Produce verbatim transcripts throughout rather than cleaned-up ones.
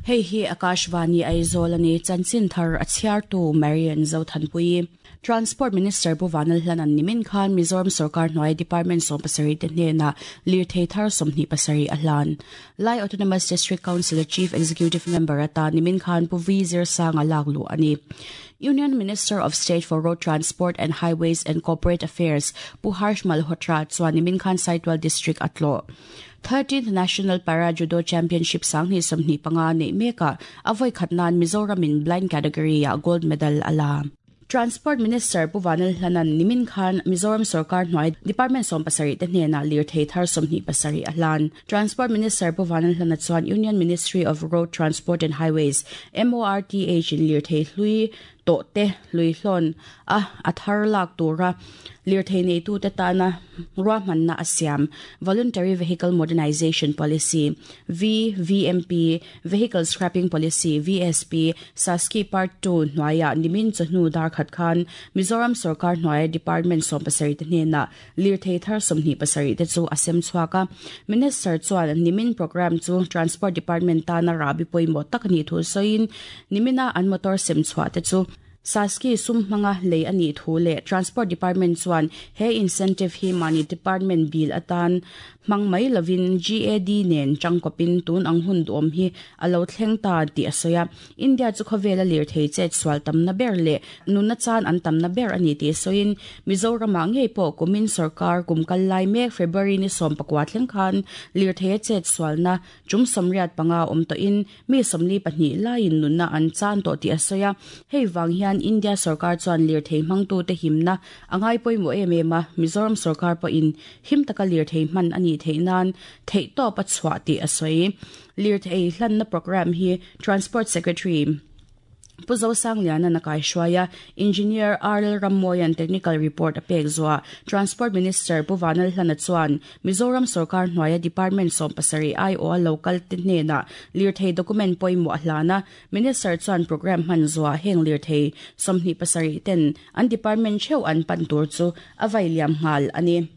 Hei hi Akashvani Aizawl ani chanchin thar a chhiartu Marian Zothanpui. Transport Minister Pu Vanlalhlana'n nimin khan Mizoram Sorkar hnuai Department sawm pasarih te hnenah lirthei thar sawmhnih pasarih a hlan. Lai Autonomous District Council Chief Executive Member atan nimin khan Pu V Zirsanga lak luh a ni. Union Minister of State for Road Transport and Highways and Corporate Affairs Pu Harsh Malhotra chuan nimin khan Saitual District a tlawh. thirteenth National Para Judo Championship sanghnih sawmhnih panga neih mekah a vawi khat nan Mizoramin blind category ah gold medal a la. Transport Minister Pu Vanlalhlana'n nimin khan Mizoram Sorkar hnuai Department sawm pasarih te hnenah lirthei thar sawmhnih pasarih a hlan. Transport Minister Pu Vanlalhlana chuan Union Ministry of Road Transport and Highways M O R T H in lirthei hlui tawh te hlui hlawn a a thar lak tura lirthei neitu te tana ruahmanna a siam Voluntary Vehicle Modernization Policy V V M P Vehicle Scrapping Policy V S P Saski Part two hnuaiah nimin chawhnu dar khat khan Mizoram Sorkar hnuai Department sawm pasarih te hnenah lirthei thar sawmhnih pasarih te chu a sem chhuak a. Minister chuan nimin program chu Transport Department tana rabi pawimawh tak ani thu sawiin nimina an motor sem chhuah te chu Saski sum hmanga lei ani thu le Transport Department chuan he incentive hi mani department bill atan hmang mai lovin G A D nen changkawpin tun ang hun duam hi alo thleng ta ti a sawi a. India chu khawvela lirthei chet sual tamna ber le nunna chan an tamna ber ani ti sawiin Mizoramah ngei pawh kumin sarkar kumkal lai mek February ni sawm pakua thleng khan lirthei chet sualna chum sawmriat panga awm tawhin mi sawmli pahnih laiin nunna an chan tawh ti a sawi a. Hei wang hian India sarkar chuan lirthei hmangtu te himna angai pawimawh em em a. Mizoram sarkar pawhin him taka lirthei hman ani thei nan thei tawp a chhuah ti a sawi. Lirthei hlanna program hi Transport Secretary Pu Zosangliana na kai hruaia Engineer R L Rammoyan technical report a pek zuwa Transport Minister Pu Vanlalhlana chuan Mizoram Sarkar hnuaia Department sawm pasarih I O a local te hnenah lirthei document pawimawh a hlana. Minister chuan program hman zuwa heng lirthei sawmhnih pasarih ten an department theuh an pan tur chu a vai liam nghal ani.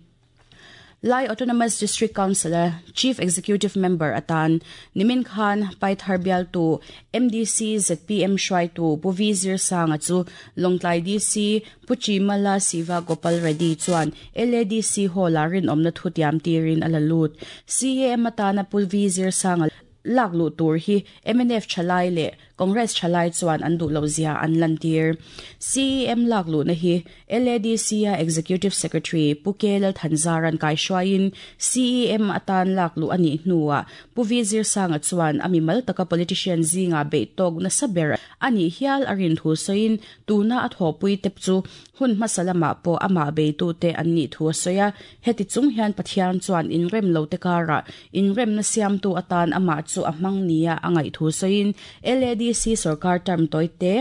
Lai Autonomous District Council Chief Executive Member atan nimin khan Paithar bial tu M D C Z P M hruai tu Pu V Zirsanga chu Lawngtlai D C Pu Chimala Siva Gopal Reddy chuan L A D C hall a rinawmna thu tiam tirin a la lut. C A M atana Pu V Zirsanga lak lu tur hi M N F thalai le Congress thalai chuan an duh lo zia an lantir. C E M lak lu na hi L A D C a Executive Secretary Pu K Lal Thanzaran kai hruaiin C E M atan lak lu ani hnuah Pu V Zirsanga chuan ami mal taka politician zinga bei tawk na saber ani hial arin thu sawiin tuna a thawpui tep chu hun hmasalama pawh amah bei tu te an nih thu a sawi a. Heti chung hian Pathian chuan inrem lo te kara inrem na siam tu atan amah chu a hmang nia a ngaih thu sawiin L A D C sarkar term toy te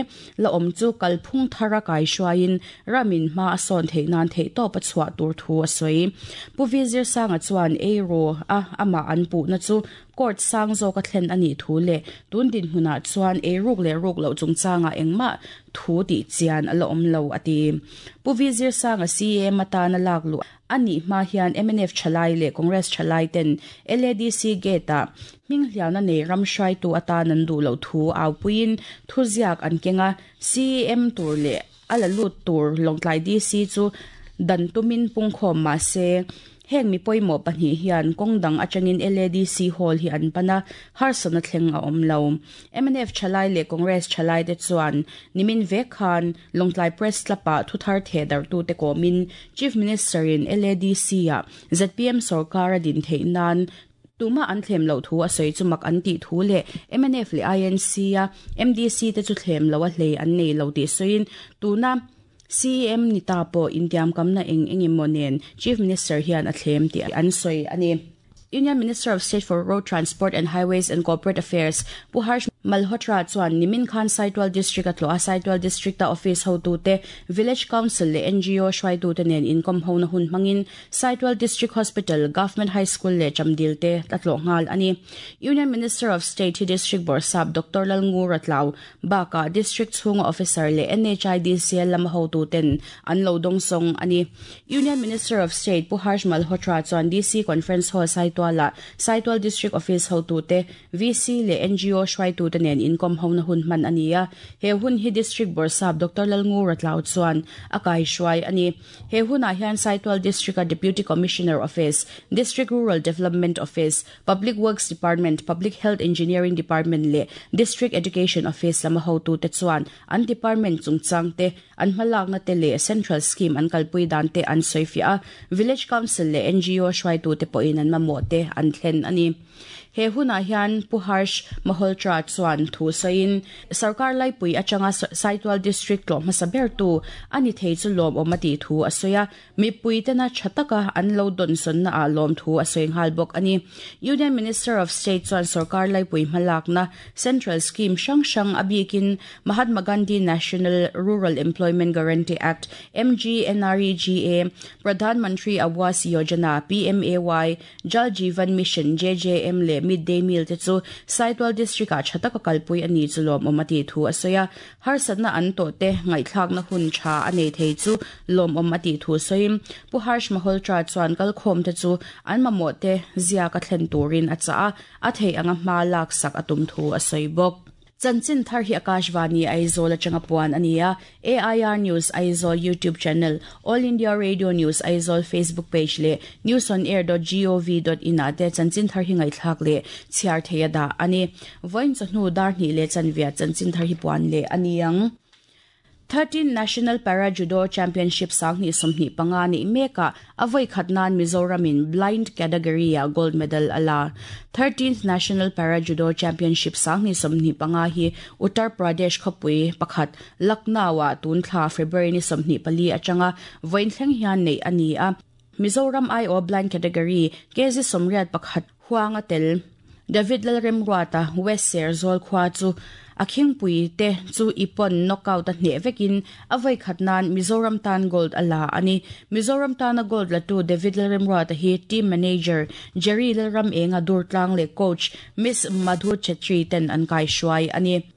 la awm chu kalphung thara kai hruaiin ramin hma a sawn theih nan theih tawp a chhuah tur thu a sawi. Pu V Zirsanga chuan ei ro a amah an puhna chu court sang zawk a thlen ani thu le tun din hmunah chuan ei ruk le ruk lo chungchanga engmah thu tih chian a la awm lo a ti. Pu V Zirsanga C A M atana lak lu ani hma hian M N F thalai le Congress thalai ten L A D C gate a hming hliauna nei ram hruai tu atan an duh lo thu au puiin thu ziak an kenga C A M tur le a la lut tur Lawngtlai D C chu dan tumin pungkhawm ma se heng mi pawimawh pahnih hian kawng dang atangin L A D C hall hi an pana harsana thleng a awm lo. M N F thalai le Congress thalai te chuan nimin vek khan Lawngtlai Press Club-ah thu thar the dar tu te kawmin Chief Minister in L A D C a Z P M sarkar a din theih nan tuma an thlem lo thu a sawi chu mak an tih thu le M N F le I N C a M D C te chu thlem lo a hlei an nei lo tih sawiin tuna C E M ni ta pawh intiam kamna eng engemaw nen Chief Minister hian a thlem tih an sawi ani. Union Minister of State for Road Transport and Highways and Corporate Affairs Pu Harsh Malhotra chuan nimin khan Saitual District a tlawh a. Saitual District a office hotu te Village Council le N G O hruaitu te nen inkom ho na hun hmangin Saitual District Hospital, Government High School le Chamdil te a tlawh nghal ani. Union Minister of State hi District Borsap Doctor Lalngu Ratlau baka District chhunga officer le N H I D C L lam hotu ten an lo dong song ani. Union Minister of State Pu Harsh Malhotra chuan D C Conference Hall Saitual la Saitual District Office hotu te V C le N G O hruaitu hruaitute nen inkawm hona hun hman a ni a. He hun hi District Bawrhsap Doctor Lalngura Tlau chuan a kaihruai a ni. He hunah hian Saitual District-a Deputy Commissioner Office, District Rural Development Office, Public Works Department, Public Health Engineering Department leh District Education Office lama hotute chuan an department chungchang te, an hmalakna te leh Central Scheme an kalpui dan te an sawifiah a. Village Council leh N G O hruaitute pawhin an mamawh te an thlen a ni. He hunah hian Pu Harsh Malhotra chuan thu sawiin sarkar laipui atanga Saitual District tlawh hmasa ber tu ani thei chu lawm awm a tih thu a sawi a. Mipui tena tha taka an lo dawn sawnna ah lawm thu a sawi nghal bawk a ni. Union Minister of State chuan sarkar laipui hmalakna Central Scheme hrang hrang a bikin Mahatma Gandhi National Rural Employment Guarantee Act M G N R E G A, Pradhan Mantri Awas Yojana P M A Y, Jal Jeevan Mission J J M leh Midday Meal te chu Saitual District ah tha taka kalpui ani chu lawm awm a tih thu a sawi a. Harsatna an tawh te ngaihthlakna hun tha a nei thei chu lawm awm a tih thu sawiin Pu Harsh Malhotra chuan kalkhawm te chu an mamawh te zia ka thlen turin a cha a, a thei anga hma lak sak a tum thu a sawi bawk. Chanchin thar hi Akashvani Aizawl atanga puan ania. A I R News Aizawl YouTube channel, All India Radio News Aizawl Facebook page le news on air dot gov dot in ate chanchin thar hi ngaithlak le chhiar theia da ani. Voin chahnu dar ni le chanvia chanchin thar hi puan le aniang. thirteen National Para Judo Championship sangni somni panga ni meka avoi khatnan Mizoramin blind category a gold medal ala. thirteenth National Para Judo Championship sangni somni panga hi Uttar Pradesh khopui pakhat Lucknow a tunthla February ni somni pali atanga voin thleng hian nei ani a. Mizoram I O blind category K G somriat pakhat huanga tel David Lalremruata West Serzol khwa chu akhing pui te chu ipon knockout a hne vekin avoi khatnan Mizoram tan gold ala ani. Mizoram tan a gold la tu David Lalremruata hi team manager Jerry Lalram enga Durtlang le coach Miss Madhu Chetri ten an kai shuai ani.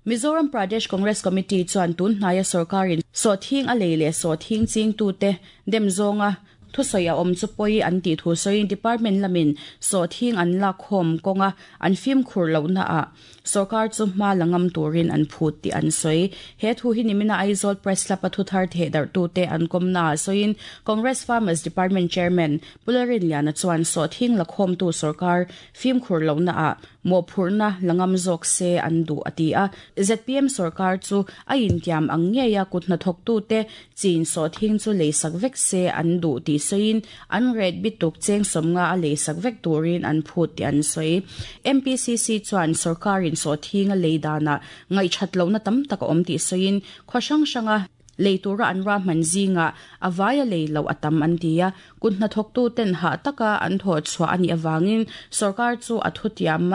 Mizoram Pradesh Congress Committee chuan tun hnaya sarkarin so thing a leile so thing ching tu te demzonga thu sawi a awm chu pawih an tih thu sawiin department lamin so thing an lak khawm kawnga an fim khur lohna ah sarkar chu hma langam turin an phut tih an sawi. He thu hi nimina Aizawl Press Club a thu thar theh darh tu te an kawmna ah sawiin Congress Farmers Department Chairman Pularin Liana chuan so thing la khawm tu sarkar fim khur lohna ah mawhphurhna langam zawk se an duh a ti a. Z P M sarkar chu a intiam ang ngeia kut hnathawk tu te chin so thing chu leisak vek se an duh tih sawiin an ret bituk cheng sawmnga a leisak vek turin an phut tih an sawi. M P C C chuan sarkarin so thing a lei dana ngaihthat lohna tam tak a awm tih sawiin khaw hrang hranga leitura an ra hman zinga avaya lei lo atam an ti a. Kut hnathawk tu ten ha taka an thaw chhuah ani awangin sarkar chu a thutiam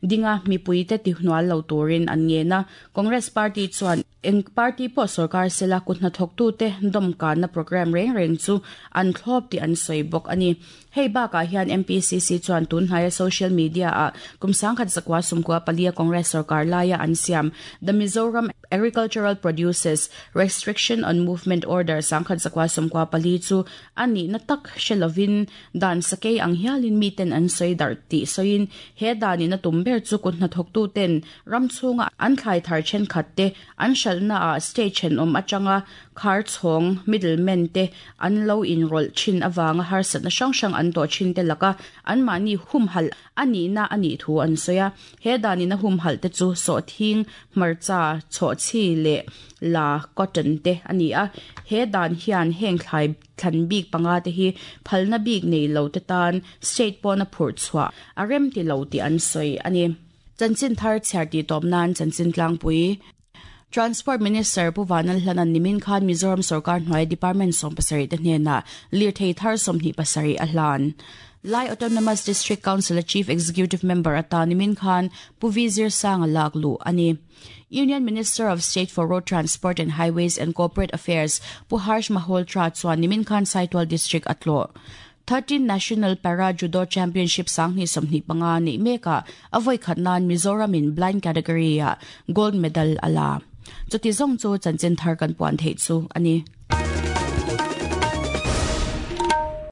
dinga mipui te ti hnual lo turin an nge na. Congress Party chuan eng party pawh sarkar sela kut hnathawk tu te dawmkan na program reng reng chu an thlawp tih an sawi bawk ani. Hei bakah hian M P C C chuan tun hnaia social media ah kum sangkhat zakwa sumkua palia Congress sarkar laia an siam The Mizoram Agricultural Produces Restriction on Movement Order sangkhat zakwa sumkua pali chu ani na tak hrelovin dan sakei ang hialin miten an sawi dar tih sawiin he danin a tum ber chu kut hnathawk tu ten ram chhunga an thlai thar thenkhat te an hralhna ah state thenawm atanga khar chhawng middlemen te an lo inrawlh thin awanga harsatna hrang hrang an tawh thin te laka an mahni humhalh ani na ani thu an sawi a. He danin a humhalh te chu sawh thing hmarcha chhawh chi leh la cotton te ani a. He dan hian heng thlai thlan bik panga te hi phalna bik nei lo te tan state pawna phurh chhuah a rem ti lo tih an sawi ani. Chanchin thar chhiar tih tawp nan chanchin tlangpui Transport Minister Pu Vanlalhlanan nimin khan Mizoram Sarkar hnuai Department sawm pasarih te hnenah lirthei thar sawmhnih pasarih a hlan. Lai Autonomous District Council Chief Executive Member ata nimin khan Pu V Zirsanga lak lu ani. Union Minister of State for Road Transport and Highways and Corporate Affairs Pu Harsh Malhotra chuan nimin khan Saitual District atlo. thirteen National Para Judo Championship sangni somni panga ni meka avoi khatnan Mizoram in blind category a gold medal ala. Chuti zong chu chanchin thar kan puan thei chu ani.